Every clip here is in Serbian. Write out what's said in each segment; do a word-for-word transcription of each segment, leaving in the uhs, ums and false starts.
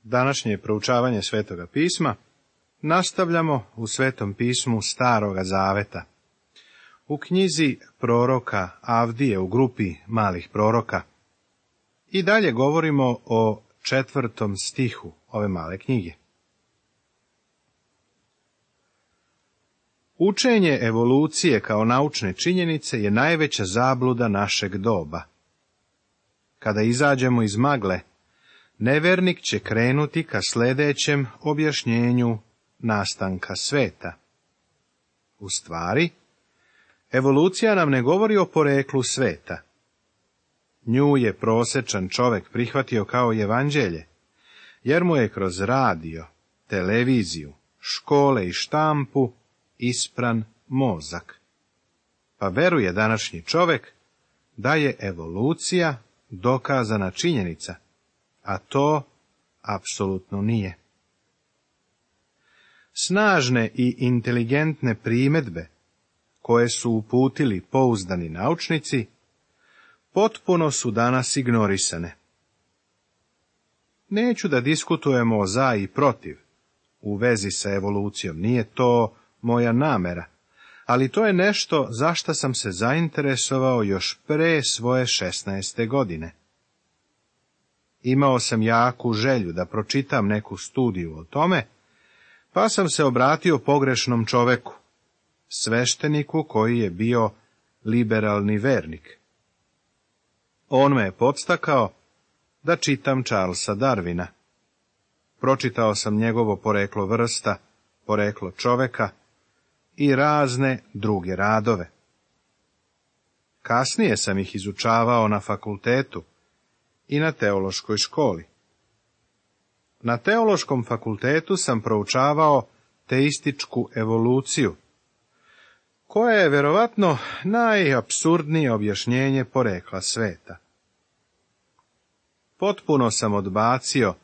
Današnje proučavanje Svetoga pisma nastavljamo u Svetom pismu Staroga Zaveta. U knjizi proroka Avdije u grupi malih proroka. I dalje govorimo o četvrtom stihu ove male knjige. Učenje evolucije kao naučne činjenice je najveća zabluda našeg doba. Kada izađemo iz magle, nevernik će krenuti ka sljedećem objašnjenju nastanka sveta. U stvari, evolucija nam ne govori o poreklu sveta. Nju je prosječan čovjek prihvatio kao evanđelje, jer mu je kroz radio, televiziju, škole i štampu ispran mozak. Pa veruje današnji čovjek da je evolucija dokazana činjenica, a to apsolutno nije. Snažne i inteligentne primjedbe koje su uputili pouzdani naučnici potpuno su danas ignorisane. Neću da diskutujemo o za i protiv u vezi sa evolucijom, nije to moja namera, ali to je nešto za što sam se zainteresovao još pre svoje šesnaeste godine. Imao sam jaku želju da pročitam neku studiju o tome, pa sam se obratio pogrešnom čoveku, svešteniku koji je bio liberalni vernik. On me je podstakao da čitam Charlesa Darwina. Pročitao sam njegovo poreklo vrsta, poreklo čoveka i razne druge radove. Kasnije sam ih izučavao na fakultetu i na teološkoj školi. Na teološkom fakultetu sam proučavao teističku evoluciju, koja je vjerovatno najapsurdnije objašnjenje porekla sveta. Potpuno sam odbacio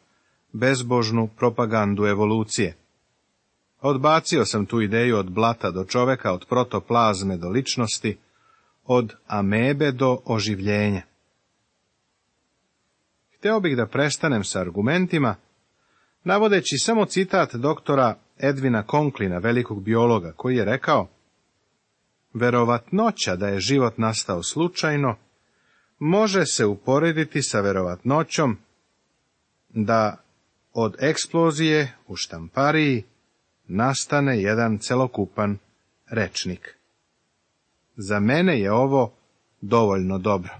bezbožnu propagandu evolucije. Odbacio sam tu ideju od blata do čoveka, od protoplazme do ličnosti, od amebe do oživljenja. Hteo bih da prestanem sa argumentima, navodeći samo citat doktora Edwina Conklina, velikog biologa, koji je rekao: verovatnoća da je život nastao slučajno može se uporediti sa verovatnoćom da od eksplozije u štampariji nastane jedan celokupan rečnik. Za mene je ovo dovoljno dobro.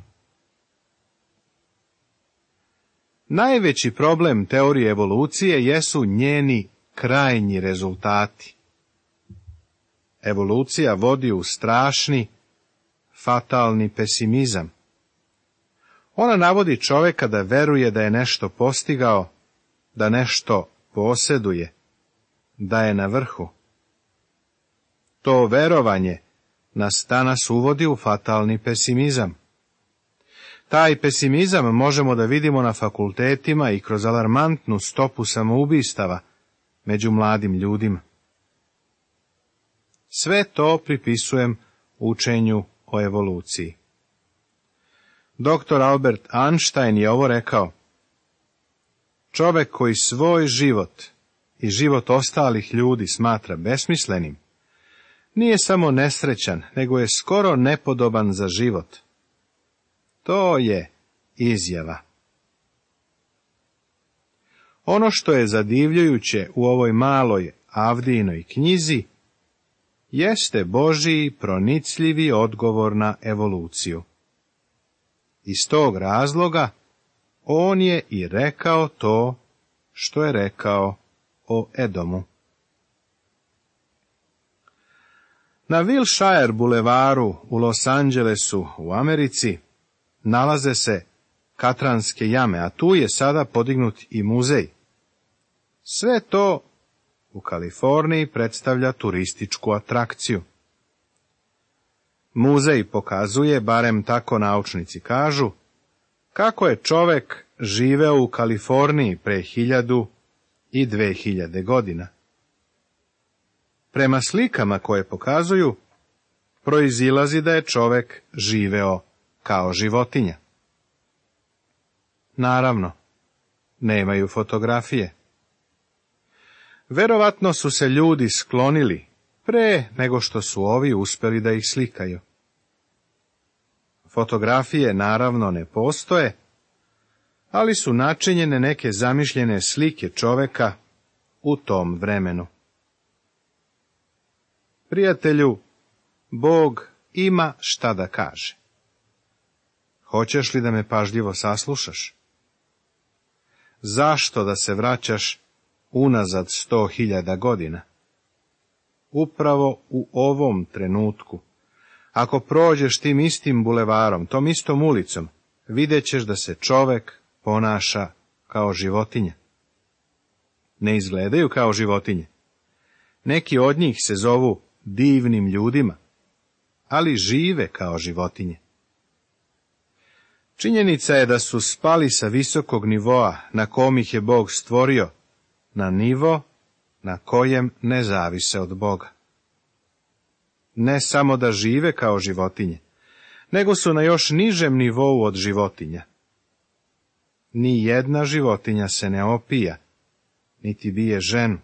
Najveći problem teorije evolucije jesu njeni krajnji rezultati. Evolucija vodi u strašni, fatalni pesimizam. Ona navodi čovjeka da veruje da je nešto postigao, da nešto posjeduje, da je na vrhu. To verovanje nas danas uvodi u fatalni pesimizam. Taj pesimizam možemo da vidimo na fakultetima i kroz alarmantnu stopu samoubistava među mladim ljudima. Sve to pripisujem učenju o evoluciji. Doktor Albert Einstein je ovo rekao: čovjek koji svoj život i život ostalih ljudi smatra besmislenim, nije samo nesrećan, nego je skoro nepodoban za život. To je izjava. Ono što je zadivljujuće u ovoj maloj Avdijinoj knjizi jeste Božji pronicljivi odgovor na evoluciju. Iz tog razloga on je i rekao to što je rekao o Edomu. Na Wilshire bulevaru u Los Angelesu u Americi nalaze se Katranske jame, a tu je sada podignut i muzej. Sve to u Kaliforniji predstavlja turističku atrakciju. Muzej pokazuje, barem tako naučnici kažu, kako je čovjek živeo u Kaliforniji pre hiljadu i dve hiljade godina. Prema slikama koje pokazuju, proizilazi da je čovjek živeo kao životinja. Naravno, nemaju fotografije. Verovatno su se ljudi sklonili pre nego što su ovi uspjeli da ih slikaju. Fotografije naravno ne postoje, ali su načinjene neke zamišljene slike čoveka u tom vremenu. Prijatelju, Bog ima šta da kaže. Hoćeš li da me pažljivo saslušaš? Zašto da se vraćaš unazad sto hiljada godina? Upravo u ovom trenutku, ako prođeš tim istim bulevarom, tom istom ulicom, vidjet ćeš da se čovek ponaša kao životinja. Ne izgledaju kao životinje. Neki od njih se zovu divnim ljudima, ali žive kao životinje. Činjenica je da su spali sa visokog nivoa na kom ih je Bog stvorio, na nivo na kojem ne zavise od Boga. Ne samo da žive kao životinje, nego su na još nižem nivou od životinja. Ni jedna životinja se ne opija, niti bije ženu,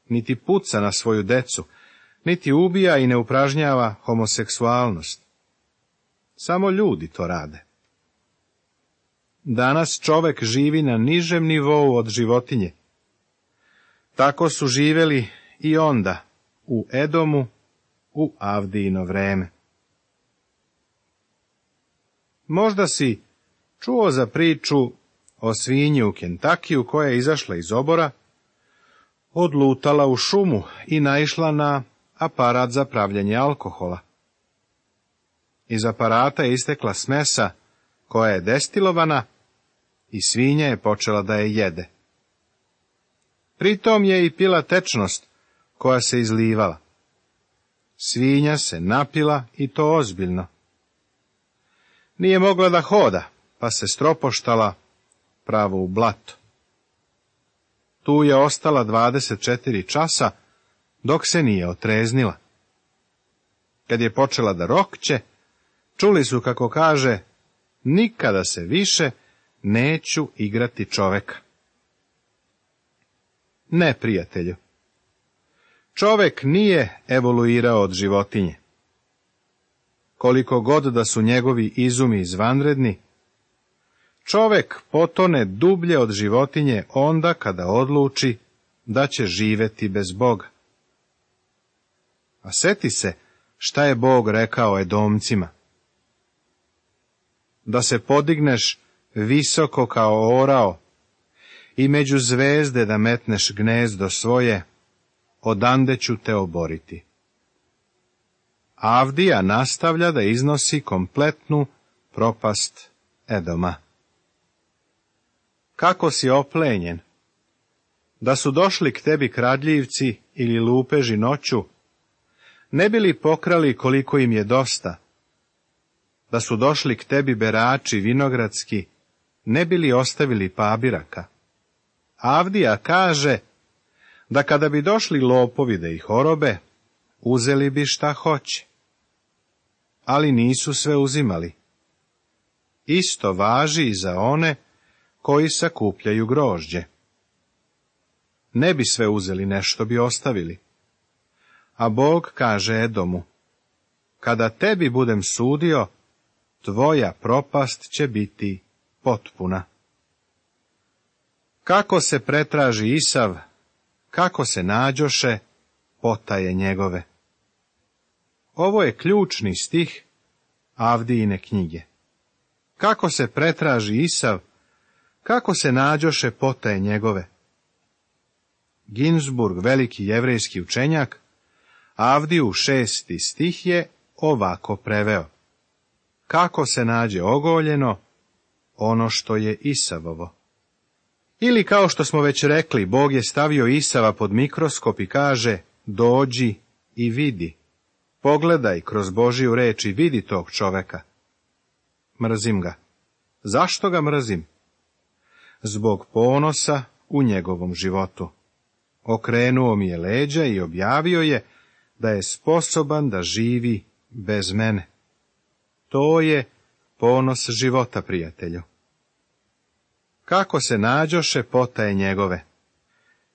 niti puca na svoju decu, niti ubija i ne upražnjava homoseksualnost. Samo ljudi to rade. Danas čovek živi na nižem nivou od životinje. Tako su živeli i onda, u Edomu, u Avdijino vreme. Možda si čuo za priču o svinji u Kentakiju koja je izašla iz obora, odlutala u šumu i naišla na aparat za pravljenje alkohola. Iz aparata je istekla smesa koja je destilovana i svinja je počela da je jede. Pritom je i pila tečnost koja se izlivala. Svinja se napila i to ozbiljno. Nije mogla da hoda, pa se stropoštala pravo u blato. Tu je ostala dvadeset četiri časa, dok se nije otreznila. Kad je počela da rokće, čuli su kako kaže, nikada se više neću igrati čoveka. Ne, prijatelju. Čovek nije evoluirao od životinje. Koliko god da su njegovi izumi izvanredni, čovek potone dublje od životinje onda kada odluči da će živeti bez Boga. A seti se šta je Bog rekao Edomcima. Da se podigneš visoko kao orao i među zvezde da metneš gnezdo svoje, odande ću te oboriti. Avdija nastavlja da iznosi kompletnu propast Edoma. Kako si oplenjen? Da su došli k tebi kradljivci ili lupeži noću, ne bi li pokrali koliko im je dosta? Da su došli k tebi berači vinogradski, ne bi li ostavili pabiraka? Avdija kaže da kada bi došli lopovi da ih orobe, uzeli bi šta hoće. Ali nisu sve uzimali. Isto važi i za one koji sakupljaju grožđe. Ne bi sve uzeli, nešto bi ostavili. A Bog kaže Edomu, kada tebi budem sudio, tvoja propast će biti potpuna. Kako se pretraži Isav, kako se nađoše, potaje njegove. Ovo je ključni stih Avdijine knjige. Kako se pretraži Isav, kako se nađoše, potaje njegove. Ginsburg, veliki jevrejski učenjak, Avdiju šesti stih je ovako preveo. Kako se nađe ogoljeno ono što je Isavovo. Ili kao što smo već rekli, Bog je stavio Isava pod mikroskop i kaže, dođi i vidi. Pogledaj kroz Božiju reč i vidi tog čoveka. Mrzim ga. Zašto ga mrzim? Zbog ponosa u njegovom životu. Okrenuo mi je leđa i objavio je da je sposoban da živi bez mene. To je ponos života, prijatelju. kako se nađoše potaje njegove.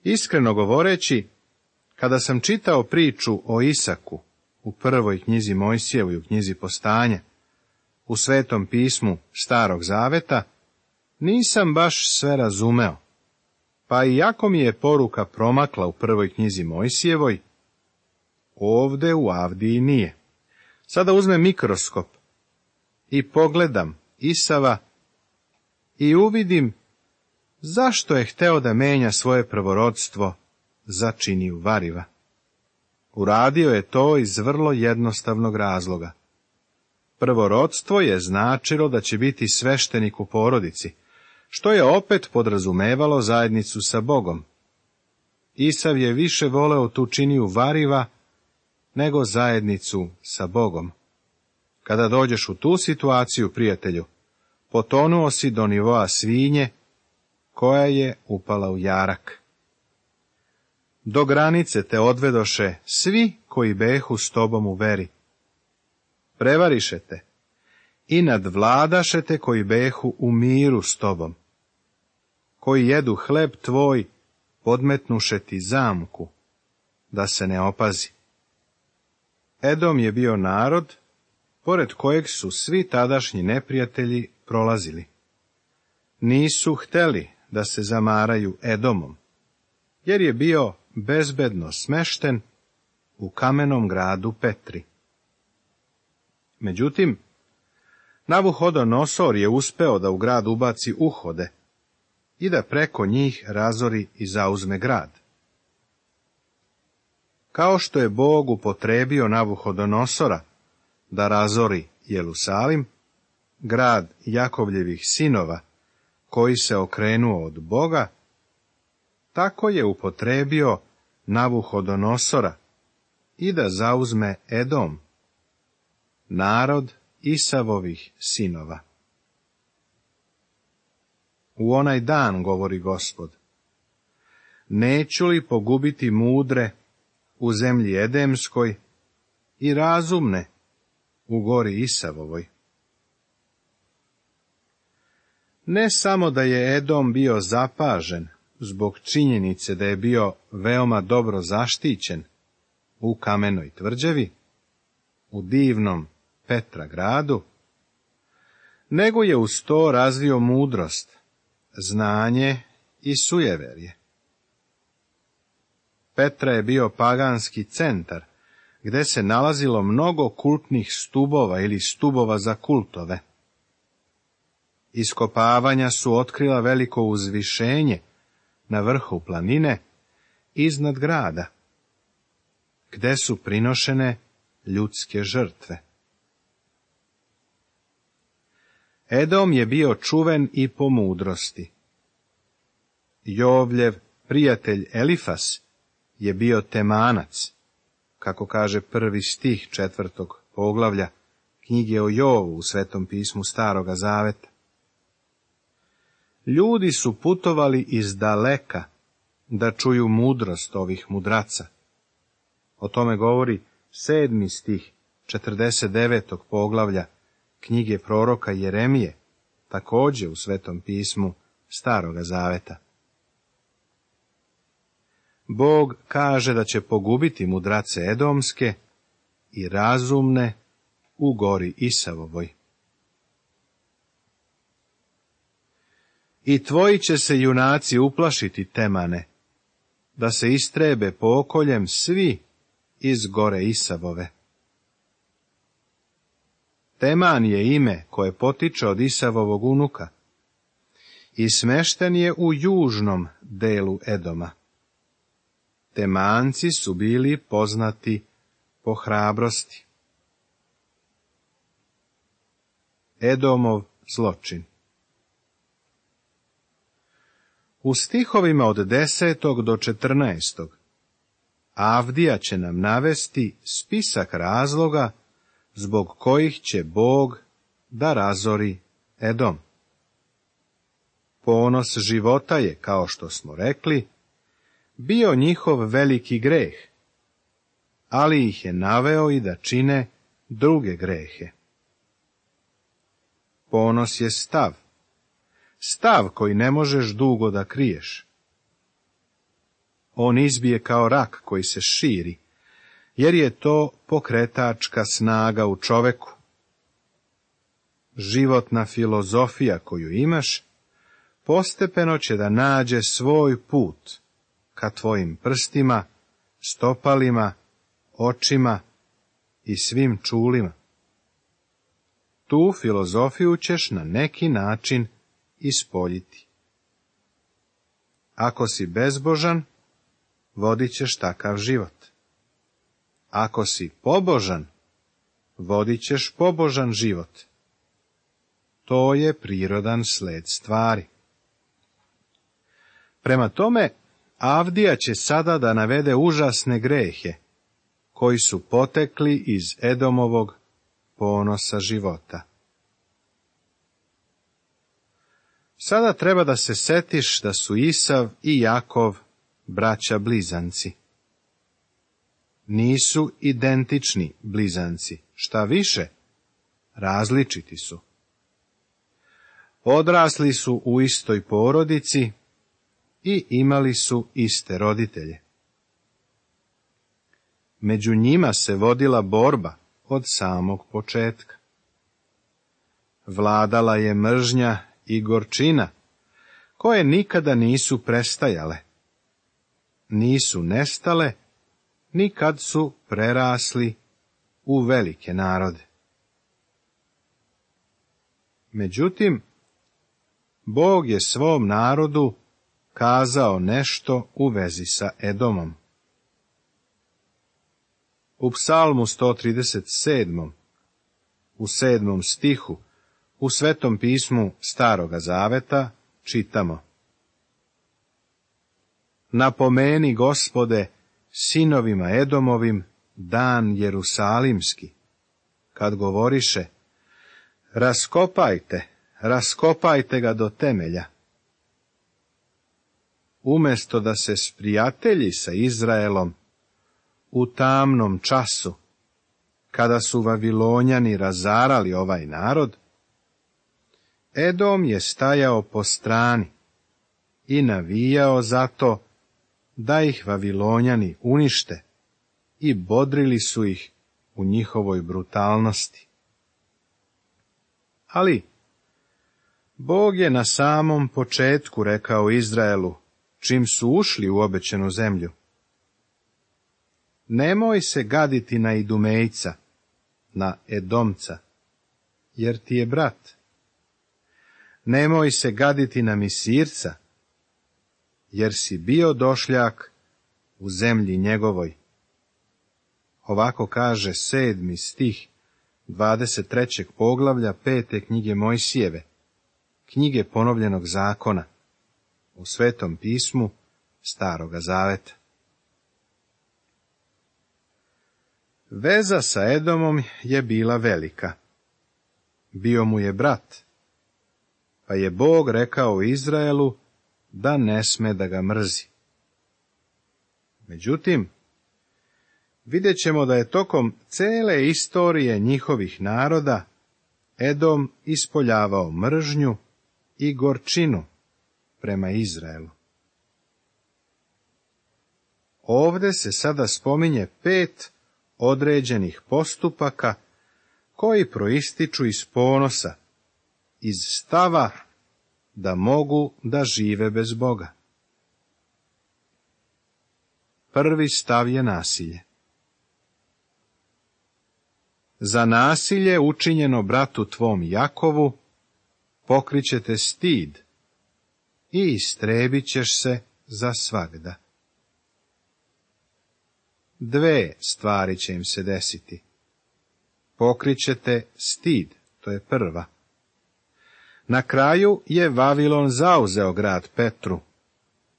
Iskreno govoreći, kada sam čitao priču o Isaku u prvoj knjizi Mojsijevoj, u knjizi Postanja, u Svetom pismu Starog zaveta, nisam baš sve razumeo, pa iako mi je poruka promakla u prvoj knjizi Mojsijevoj, ovde u Avdiji nije. Sada uzmem mikroskop i pogledam Isava i uvidim zašto je hteo da menja svoje prvorodstvo za činiju variva. Uradio je to iz vrlo jednostavnog razloga. Prvorodstvo je značilo da će biti sveštenik u porodici, što je opet podrazumevalo zajednicu sa Bogom. Isav je više voleo tu činiju variva nego zajednicu sa Bogom. Kada dođeš u tu situaciju, prijatelju, potonuo si do nivoa svinje koja je upala u jarak. Do granice te odvedoše svi koji behu s tobom u veri. Prevariše te i nadvladaše te koji behu u miru s tobom, koji jedu hleb tvoj, podmetnuše ti zamku, da se ne opazi. Edom je bio narod, pored kojeg su svi tadašnji neprijatelji prolazili. Nisu hteli da se zamaraju Edomom, jer je bio bezbedno smešten u kamenom gradu Petri. Međutim, Navuhodonosor je uspeo da u grad ubaci uhode i da preko njih razori i zauzme grad. Kao što je Bog upotrebio Navuhodonosora da razori Jerusalim, grad Jakovljevih sinova, koji se okrenuo od Boga, tako je upotrebio Navuhodonosora i da zauzme Edom, narod Isavovih sinova. U onaj dan, govori Gospod, neću li pogubiti mudre u zemlji Edemskoj i razumne u gori Isavovoj. Ne samo da je Edom bio zapažen zbog činjenice da je bio veoma dobro zaštićen u kamenoj tvrđavi, u divnom Petra gradu, nego je uz to razvio mudrost, znanje i sujeverje. Petra je bio paganski centar, gde se nalazilo mnogo kultnih stubova ili stubova za kultove. Iskopavanja su otkrila veliko uzvišenje na vrhu planine iznad grada, gde su prinošene ljudske žrtve. Edom je bio čuven i po mudrosti. Jovljev prijatelj Elifas je bio Temanac, kako kaže prvi stih četvrtog poglavlja knjige o Jovu u Svetom pismu Staroga zaveta. Ljudi su putovali iz daleka da čuju mudrost ovih mudraca. O tome govori sedmi stih četrdeset devetog poglavlja knjige proroka Jeremije, također u Svetom pismu Staroga zaveta. Bog kaže da će pogubiti mudrace edomske i razumne u gori Isavovoj. I tvoji će se junaci uplašiti, Temane, da se istrebe pokoljem svi iz gore Isavove. Teman je ime koje potiče od Isavovog unuka i smešten je u južnom delu Edoma. Temanci su bili poznati po hrabrosti. Edomov zločin. U stihovima od desetog do četrnaestog Avdija će nam navesti spisak razloga zbog kojih će Bog da razori Edom. Ponos života je, kao što smo rekli, bio njihov veliki greh, ali ih je naveo i da čine druge grehe. Ponos je stav, stav koji ne možeš dugo da kriješ. On izbije kao rak koji se širi, jer je to pokretačka snaga u čoveku. Životna filozofija koju imaš, postepeno će da nađe svoj put ka tvojim prstima, stopalima, očima i svim čulima. Tu filozofiju ćeš na neki način ispoljiti. Ako si bezbožan, vodit ćeš takav život. Ako si pobožan, vodit ćeš pobožan život. To je prirodan sled stvari. Prema tome, Avdija će sada da navede užasne grehe, koji su potekli iz Edomovog ponosa života. Sada treba da se setiš da su Isav i Jakov braća blizanci. Nisu identični blizanci, šta više, različiti su. Odrasli su u istoj porodici i imali su iste roditelje. Među njima se vodila borba od samog početka. Vladala je mržnja i gorčina, koje nikada nisu prestajale. Nisu nestale, ni kad su prerasli u velike narode. Međutim, Bog je svom narodu kazao nešto u vezi sa Edomom. U Psalmu sto trideset sedmom, u sedmom stihu, u Svetom pismu Staroga Zaveta, čitamo: Napomeni, Gospode, sinovima Edomovim dan Jerusalimski, kad govoriše: raskopajte, raskopajte ga do temelja. Umesto da se sprijatelji sa Izraelom u tamnom času, kada su Vavilonjani razarali ovaj narod, Edom je stajao po strani i navijao za to da ih Vavilonjani unište i bodrili su ih u njihovoj brutalnosti. Ali Bog je na samom početku rekao Izraelu, čim su ušli u obećanu zemlju: nemoj se gaditi na Idumejca, na Edomca, jer ti je brat. Nemoj se gaditi na Misirca, jer si bio došljak u zemlji njegovoj. Ovako kaže sedmi stih dvadeset trećeg poglavlja pete knjige Mojsijeve, knjige ponovljenog zakona, u Svetom pismu Staroga Zaveta. Veza sa Edomom je bila velika. Bio mu je brat, pa je Bog rekao Izraelu da ne sme da ga mrzi. Međutim, vidjet ćemo da je tokom cele istorije njihovih naroda Edom ispoljavao mržnju i gorčinu prema Izraelu. Ovde se sada spominje pet određenih postupaka koji proističu iz ponosa, iz stava da mogu da žive bez Boga. Prvi stav je nasilje. Za nasilje učinjeno bratu tvom Jakovu pokrićete stid i istrebit ćeš se za svagda. Dve stvari će im se desiti. Pokrićete stid, to je prva. Na kraju je Vavilon zauzeo grad Petru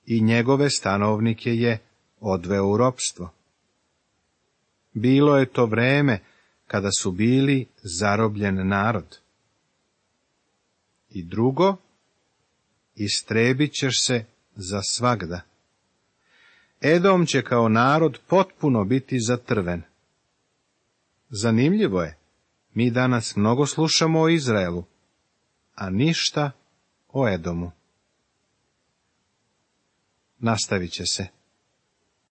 i njegove stanovnike je odveo u ropstvo. Bilo je to vreme kada su bili zarobljen narod. I drugo, istrebit ćeš se za svagda. Edom će kao narod potpuno biti zatrven. Zanimljivo je, mi danas mnogo slušamo o Izraelu, a ništa o Edomu. Nastavit će se.